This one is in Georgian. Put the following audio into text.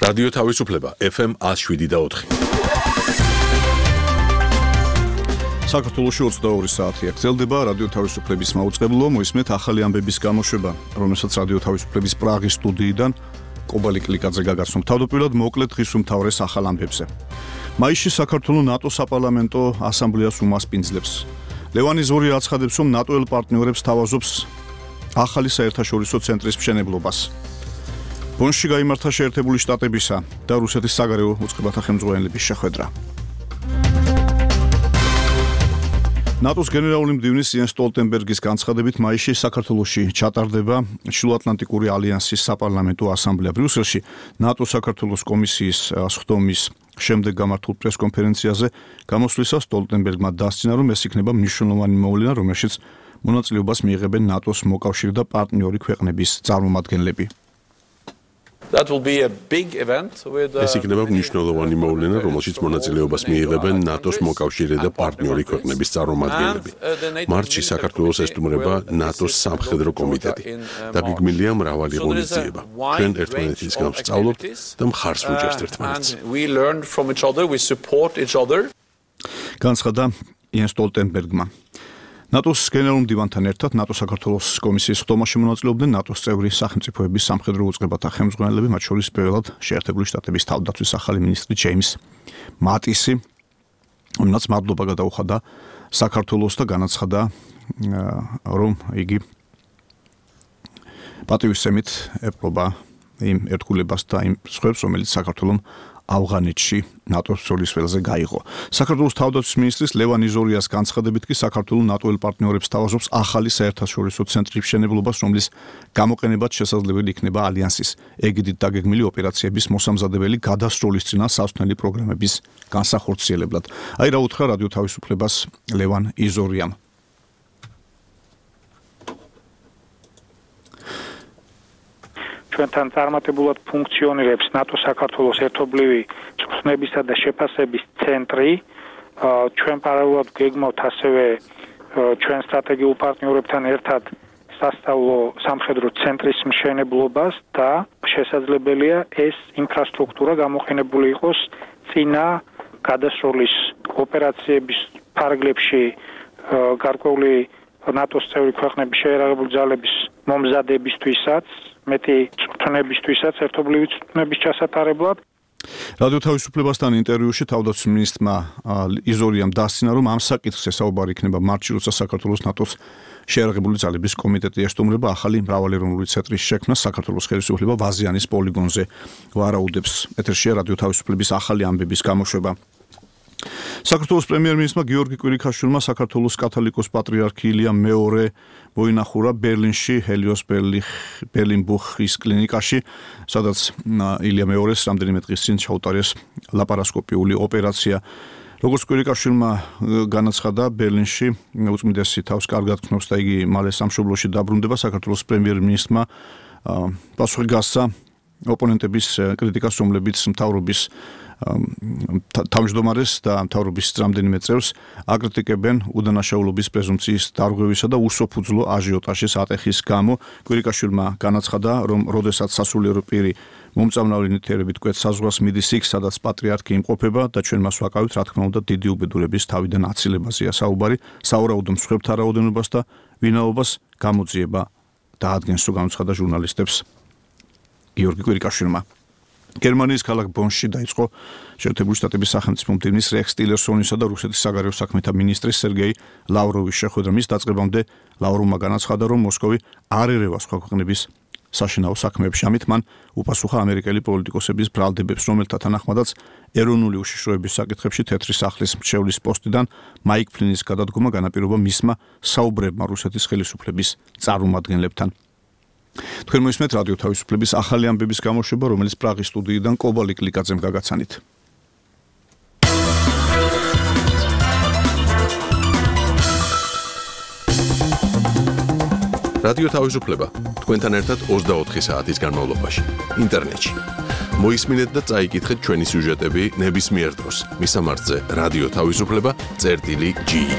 რადიო თავისუფლება FM 107.4. საქართველოში 22 საათია გრძელდება რადიო თავისუფლების მაუწყებლო, მოისმენთ ახალი ამბების გამოშვება, რომელსაც რადიო თავისუფლების პრაღის სტუდიიდან კობალი კლიკაძე გაგაცნობ. თავდაპირველად მოკლედ დღის უმთავრეს ახალ ამბებზე. მაისში საქართველოს ნატო საპარლამენტო ასამბლეას უმასპინძლებს. ლევან იზორი აცხადებს, რომ ნატოელ პარტნიორებს თავაზობს ახალი საერთაშორისო ცენტრის მშენებლობას. ბონში გაიმართა შეერთებული შტატებისა და რუსეთის საგარეო უწყებათა ხელმძღვანელების შეხვედრა. ნატოს გენერალური მდივნის იენს სტოლტენბერგის განცხადებით მაისში საქართველოში ჩატარდება ჩრდილოატლანტიკური ალიანსის საპარლამენტო ასამბლეა ბრიუსელში. ნატო საქართველოს კომისიის სხდომის შემდეგ გამართულ პრესკონფერენციაზე გამოსვლისას სტოლტენბერგმა დასცინა, რომ ეს იქნება მნიშვნელოვანი მოვლენა, რომელშიც მონაწილეობას მიიღებენ ნატოს მოკავშირე და პარტნიორი ქვეყნების წარმომადგენლები. ეს იქნება მნიშვნელოვანი მოვლენა, რომელშიც მონაწილეობას მიიღებენ ნატოს მოკავშირე და პარტნიორი ქვეყნების წარმომადგენლები. მარტში საქართველოს ესტუმრება ნატოს სამხედრო კომიტეტი და გეგმილია მრავალი ღონისძიება. ჩვენ ერთმანეთისგან ვსწავლობთ და მხარს ვუჭერთ ერთმანეთს. განცხადა იენს სტოლტენბერგმა. ნატოს გენერალურ მდივანთან ერთად ნატო საქართველოს კომისიის სხდომაში მონაწილეობდნენ ნატოს წევრი სახელმწიფოების სამხედრო უწყებათა ხელმძღვანელები, მათ შორის პირველად შეერთებული შტატების თავდაცვის ახალი მინისტრი ჯეიმს მატისი, რომელსაც მადლობა გადაუხადა საქართველოს და განაცხადა, რომ იგი პატივისცემით ეპყრობა იმ ერთგულებას და იმ სხვებს, რომელიც საქართველოს ავღანეთში ნატოს ბრძოლის ველზე გაიღო. საქართველოს თავდაცვის მინისტრის ლევან იზორიას განცხადებით კი საქართველოს ნატოელ პარტნიორებს თავაზობს ახალი საერთაშორისო ცენტრის მშენებლობას, რომლის გამოყენებაც შესაძლებელი იქნება ალიანსის ეგიდით დაგეგმილი ოპერაციების მოსამზადებელი გადასროლისწინა სასწავლელი პროგრამების განსახორციელებლად. აი რა უთხრა რადიო თავისუფლებას ლევან იზორიამ. ჩვენთან წარმატებულად ფუნქციონირებს ნატო საქართველოს ერთობლივი წვრთნებისა და შეფასების ცენტრი. ჩვენ პარალელურად გეგმავთ ასევე ჩვენ სტრატეგიულ პარტნიორებთან ერთად სასწავლო სამხედრო ცენტრის მშენებლობას და შესაძლებელია ეს ინფრასტრუქტურა გამოყენებული იყოს წინა გადასროლის ოპერაციების ფარგლებში გარკვეული ნატოს წევრი ქვეყნების შეერაღებული ძალების მომზადებისთვისაც, მეტი წვრთნებისთვისაც, ერთობლივი წვრთნების ჩასატარებლად. რადიო თავისუფლებასთან ინტერვიუში თავდაცვის მინისტრმა იზორიამ დასცინა, რომ ამ საკითხზე საუბარი იქნება მარტში, როცა საქართველოს ნატოს შეერაღებული ძალების კომიტეტი ესტუმრება ახალი მრავალეროვნული ცენტრის შექმნას. საქართველოს ხელისუფლება ვაზიანის პოლიგონზე ვარაუდებს. ეთერშია რადიო თავისუფლების ახალი ამბების გამოშვება. საქართველოს პრემიერ-მინისტრმა გიორგი კვირიქაშვილმა საქართველოს კათოლიკოს პატრიარქი ილია მეორე მოინახურა ბერლინში ჰელიოს ბერლინბუხის კლინიკაში, სადაც ილია მეორეს რამდენიმე დღის წინ ჩაუტარეს ლაპარასკოპიული ოპერაცია. როგორც კვირიქაშვილმა განაცხადა, ბერლინში უწმიდესი თავს კარგად ქნობს და იგი მალე სამშობლოში დაბრუნდება. საქართველოს პრემიერ-მინისტრმა პასუხი გასცა ოპონენტების კრიტიკას, რომლებიც მთავრობის თავმჯდომარეს და მთავრობის რამდენიმე წევრს აკრიტიკებენ უდანაშაულობის პრეზუმპციის დარღვევისა და უსოფუძვლო აჟიოტაჟის ატეხის გამო. კვირიქაშვილმა განაცხადა, რომ როდესაც სასულიერო პირი მომწამლავი ნივთიერებით კვეთს საზღვარს მიდის იქ, სადაც პატრიარქი იმყოფება და ჩვენ მას ვაკავით, რა თქმა უნდა, დიდი უბედურების თავიდან აცილებაზეა საუბარი, სავარაუდო მსხვერპლთა რაოდენობას და ვინაობას გამოძიება დაადგენს, რომ განაცხადა ჟურნალისტებს გიორგი კვირიქაშვილმა. გერმანიის ქალაქ ბონში დაიწყო შეერთებული შტატების სახელმწიფო მდივნის რექს ტილერსონისა და რუსეთის საგარეო საქმეთა მინისტრის სერგეი ლავროვის შეხვედრა. მის დაწყებამდე ლავროვმა განაცხადა, რომ მოსკოვი არ ერევა სხვა ქვეყნების საშინაო საქმეებში. ამით მან უპასუხა ამერიკელი პოლიტიკოსების ბრალდებებს, რომელთა თანახმადაც ეროვნული უშიშროების საკითხებში თეთრი სახლის მრჩევლის პოსტიდან მაიკ ფლინის გადადგომა განაპირობა მისმა საუბრებმა რუსეთის ხელისუფლების წარმომადგენლებთან. თქვენ მოისმენთ რადიო თავისუფლების ახალი ამბების გამოშვება, რომელიც პრაღის სტუდიიდან კობალი კლიკაძემ გაგაცანით. რადიო თავისუფლება თქვენთან ერთად 24 საათის განმავლობაში ინტერნეტში. მოისმინეთ და წაიკითხეთ ჩვენი სიუჟეტები ნებისმიერ დროს. მისამართზე რადიო თავისუფლება წერტილი G.